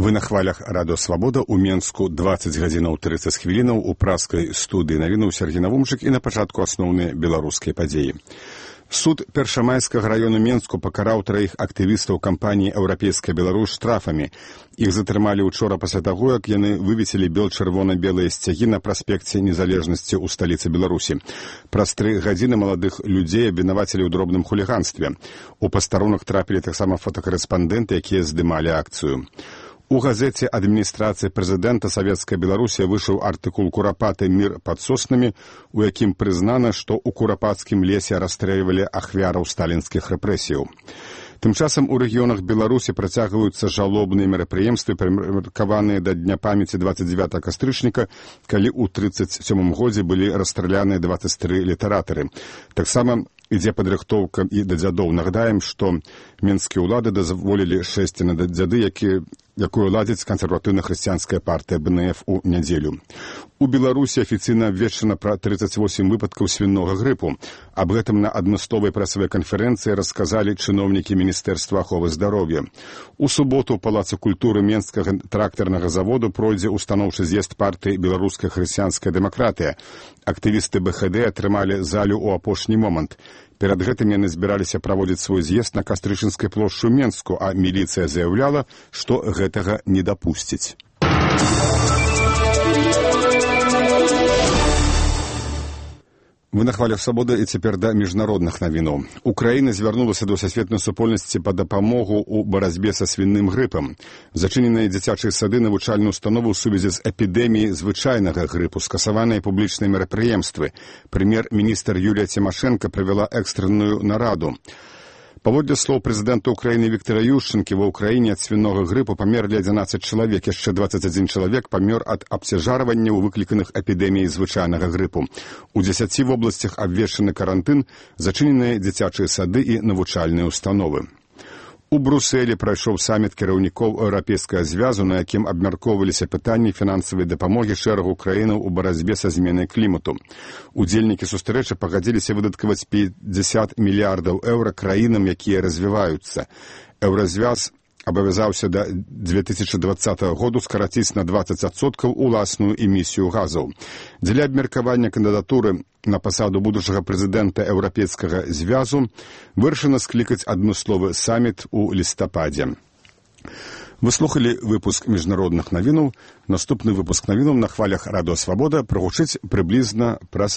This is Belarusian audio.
Вы на хвалях Радио Свобода. У Менску 20 гадзінаў 30 хвілінаў у праскай студыі навінуў Сергей Навумчык і на пачатку асноўныя беларускія падзеі. Суд Першамайскага раёну Менску пакараў 3 актывістаў кампаніі «Еўрапейская Беларусь» штрафамі. Іх затрымалі ўчора пасля таго, як яны вывесілі бел-чырвона-белыя сцягі на праспекце Незалежнасці ў сталіцы Беларусі. Праз 3 гадзіны маладых людзей абвінавацілі ў дробным хуліганстве. У пастарунак трапілі таксама фотакарэспандэнты, якія здымалі акцыю. У газеце адміністрацыі прэзідэнта Савецкая Беларусія выйшаў артыкул «Курапаты. Мір пад соснамі», у якім прызнана, што ў Курапацкім лесе расстрэльвалі ахвяраў сталінскіх рэпрэсіяў. Тым часам у рэгіёнах Беларусі працягваюцца жалобныя мерапрыемствы, прымеркаваныя да Дня памяці 29 кастрычніка, калі ў 1937 годзе былі расстраляныя 23 літаратары. Таксама ідзе падрыхтоўка і да дзядоў. Нагадаем, што менскія ўлады дазволілі шэсці на дзяды, якую ладзіць кансерватыўна-хрысціянская партыя БНФ у нядзелю. У Беларусі афіцыйна абвешчана пра 38 выпадкаў свінога грыпу. Аб гэтым на адмысловай прэсавай канферэнцыі расказалі чыноўнікі Міністэрства аховы здароўя. У суботу ў Палацы культуры Менскага трактарнага заводу пройдзе устаноўчы з'езд партыі «Беларуская хрысціянская дэмакратыя». Актывісты БХД атрымалі залю ў апошні момант. Перад гэтым яны збіраліся праводзіць свой з'езд на Кастрычынскай плошчы ў Менску, а міліцыя заяўляла, што гэтага не дапусціць. Вы на хвалях свабоды і цяпер да міжнародных навінаў. Украіна звярнулася да сусветнай супольнасці па дапамогу ў барацьбе са свінным грыпам. Зачыненыя дзіцячыя сады, навучальныя установы ў сувязі з эпідэміяй звычайнага грыпу, скасаваныя публічныя мерапрыемствы. Прэм'ер-міністр Юлія Цімашэнка правяла экстранную нараду. Паводле слоў прэзідэнта Украіны Віктара Ющэнкі, ва ўкраіне ад свінога грыпу памерлі 11 чалавек, яшчэ 21 чалавек памёр ад абцяжарванняў, выкліканых эпідэміяй звычайнага грыпу. У 10 вобласцях абвешчаны карантын, зачыненыя дзіцячыя сады і навучальныя установы. У Брусэлі прайшоў саміт кіраўнікоў Еўрапейскага звязу, на якім абмяркоўваліся пытанні фінансавай дапамогі шэрагу краінаў у барацьбе са зменай клімату. Удзельнікі сустрэчы пагадзіліся выдаткаваць 50 мільярдаў еўра краінам, якія развіваюцца. Еўразвяз абавязаўся да 2020 году скараціць на 20% уласную эмісію газаў. Дзеля абмеркавання кандыдатуры на пасаду будучага прэзідэнта Еўрапейскага звязу вырашана склікаць адмысловы саміт у лістападзе. Вы слухалі выпуск міжнародных навінаў. Наступны выпуск навінаў на хвалях Радио Свобода прагучыць прыблізна праз